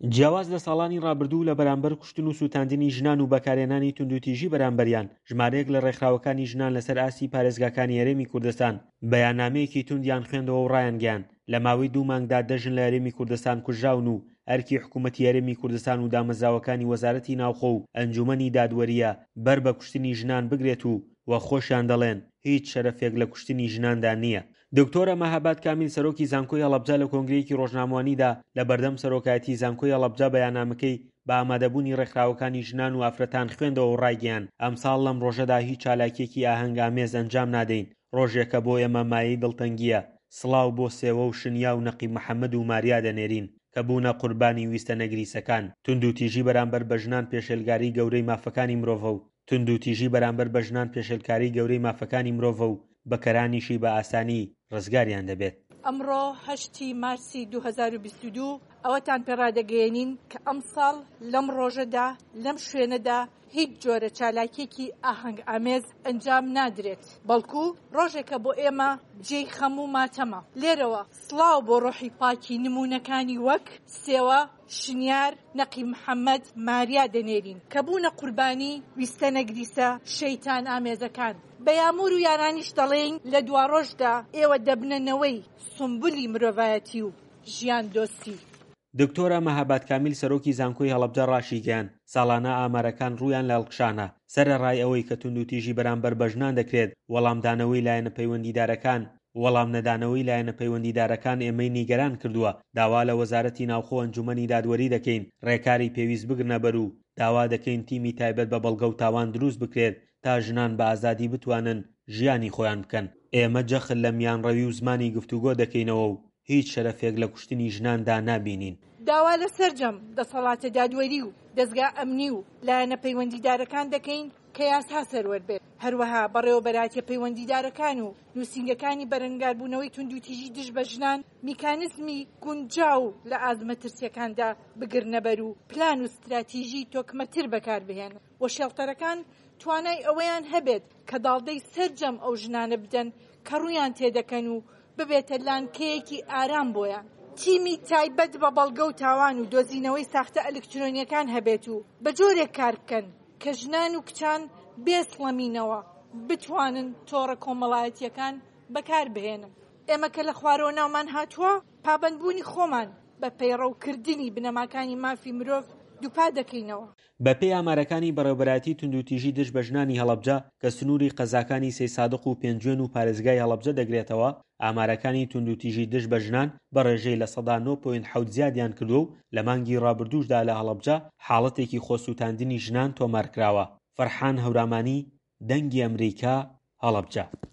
جیاواز لە ساڵانی ڕابردوو لە بەرامبەر کوشتن و سووتاندنی ژنان و بەکارهێنانی توندوتیژی بەرامبەریان، ژمارەیەک لە ڕێکخراوەکانی ژنان لەسەر ئاستی پارێزگاکانی هەرێمی کوردستان بەیاننامەیەکی توندیان خوێندەوە و ڕایانگەیاند، لە ماوەی دوو مانگدا دە ژن لە هەرێمی کوردستان کوژراون و ئەرکی حکوومەتی هەرێمی کوردستان و دامەزراوەکانی وەزارەتی ناوخۆ و ئەنجوومەنی دادوەرییە بەر بە کوشتنی ژنان بگرێت و وەک خۆشیان دەڵێن هیچ شەرەفێک لە کوشتنی ژناندا نییە. دکتۆرە مەهاباد کامیل سەرۆکی زانکۆی هەڵەبجە لە کۆنگرەیەکی ڕۆژنامەوانیدا لە بەردەم سەرۆکایەتی زانکۆی هەڵەبجە بەیاننامەکەی بە ئامادەبوونی ڕێکخراوەکانی ژنان و ئافرەتان خوێندەوە و ڕایگەیاند ئەمساڵ لەم ڕۆژەدا هیچ چالاکیەکی ئاهەنگ ئامێز ئەنجام نادەین ڕۆژێکە بۆ ئێمە مایەی دڵتەنگیە سڵاو بۆ سێوە و شنیا و نەقیب محەمەد و ماریا دەنێرین کە بوونە قوربانی ویستە نەگریسەکان توندوتیژی بەرامبەر بە ژنان پێشێلگاری گەورەی مافەکانی مرۆڤە و توندوتیژی بەرامبەر بە ژنان پێشێلکاری گەورەی مافەکانی مرۆڤە و بکەرانیشی بە ئاسانی ڕزگاریان دەبێت. ئەمڕۆ هەشتی مارسی 2022 ئەوەتان پێ ڕادەگەیەنین کە ئەمساڵ لەم ڕۆژەدا لەم شوێنەدا هیچ جۆرە چالاکیەکی ئاهەنگ ئامێز ئەنجام نادرێت، بەڵکو ڕۆژێکە بۆ ئێمە جێی خەم و ماتەمە. لێرەوە سڵاو بۆ ڕۆحی پاکی نموونەکانی وەک سێوە، شنیار، نەقیب محەمەد، ماریا دەنێرین کە بوونە قوربانی ویستە نەگریسە شەیتان ئامێزەکان. بە یامور و یارانیش دەڵێین لە دواڕۆژدا ئێوە دەبنە نەوەی سومبولی مرۆڤایەتی و ژیان دۆستی. دکتۆرە مەهاباد کامیل سەرۆکی زانکۆی هەڵەبجە ڕاشیگەیاند، ساڵانە ئامارەکان ڕوویان لە هەڵکشانە، سەرەڕای ئەوەی کە توندوتیژی بەرامبەر بە ژنان دەکرێت، وەڵامدانەوەی لایەنە پەیوەندیدارەکان وەڵام نەدانەوەی لایەنە پەیوەندیدارەکان ئێمەی نیگەران کردووە، داوا لە وەزارەتی ناوخۆ ئەنجومەنی دادوەری دەکەین ڕێکاری پێویست بگرنە بەر و داوا دەکەین تیمی تایبەت بە بەڵگە و تاوان دروست بکرێت تا ژنان بە ئازادی بتوانن ژیانی خۆیان بکەن. ئێمە جەخت لە میانڕەوی و زمانی گفتوگۆ دەکەینەوە و هیچ شەرەفێک لە کوشتنی ژناندا نابینین. داوا لە سەرجەم دەسەڵاتە دادوەری و دەزگا ئەمنی و لایەنە پەیوەندیدارەکان دەکەین کە یاسا سەروەر بێت، هەروەها بەڕێوەبەرایەتیە پەیوەندیدارەکان و نووسینگەکانی بەرەنگاربوونەوەی توندوتیژی دژ بە ژنان میکانیزمی گونجاو لە ئاست مەترسیەکاندا بگرنەبەر و پلان و ستراتیژی تۆکمەتر بەکاربهێنن و شێڵتەرەکان توانای ئەوەیان هەبێت کە داڵدەی سەرجەم ئەو ژنانە بدەن کە ڕوویان تێدەکەن و ببێتە لانکەیەکی ئارام بۆیان. تیمی تایبەت بە بەڵگە و تاوان و دۆزینەوەی ساختە ئەلکترۆنیەکان هەبێت و بە جۆرێک کار بکەن کە ژنان و کچان بێ سڵەمینەوە بتوانن تۆڕە کۆمەڵایەتییەکان بەکاربهێنن. ئێمە کە لە خوارەوە ناومان هاتووە، پابەندبوونی خۆمان بە پەیڕەوکردنی بنەماکانی مافی مرۆڤ دووپات دەکەینەوە. بەپێی ئامارەکانی بەڕێوەبەرایەتی توندوتیژی دژ بە ژنانی هەڵەبجە کە سنووری قەزاکانی سەیسادق و پێنجوێن و پارێزگای هەڵەبجە دەگرێتەوە، ئامارەکانی توندوتیژی دژ بە ژنان بە ڕێژەی 9.7% زیادیان کردووە و لە مانگی ڕابردووشدا لە هەڵەبجە حاڵەتێکی خۆسووتاندنی ژنان تۆمارکراوە. فەرحان هەورامانی، دەنگی ئەمریکا، هەڵەبجە.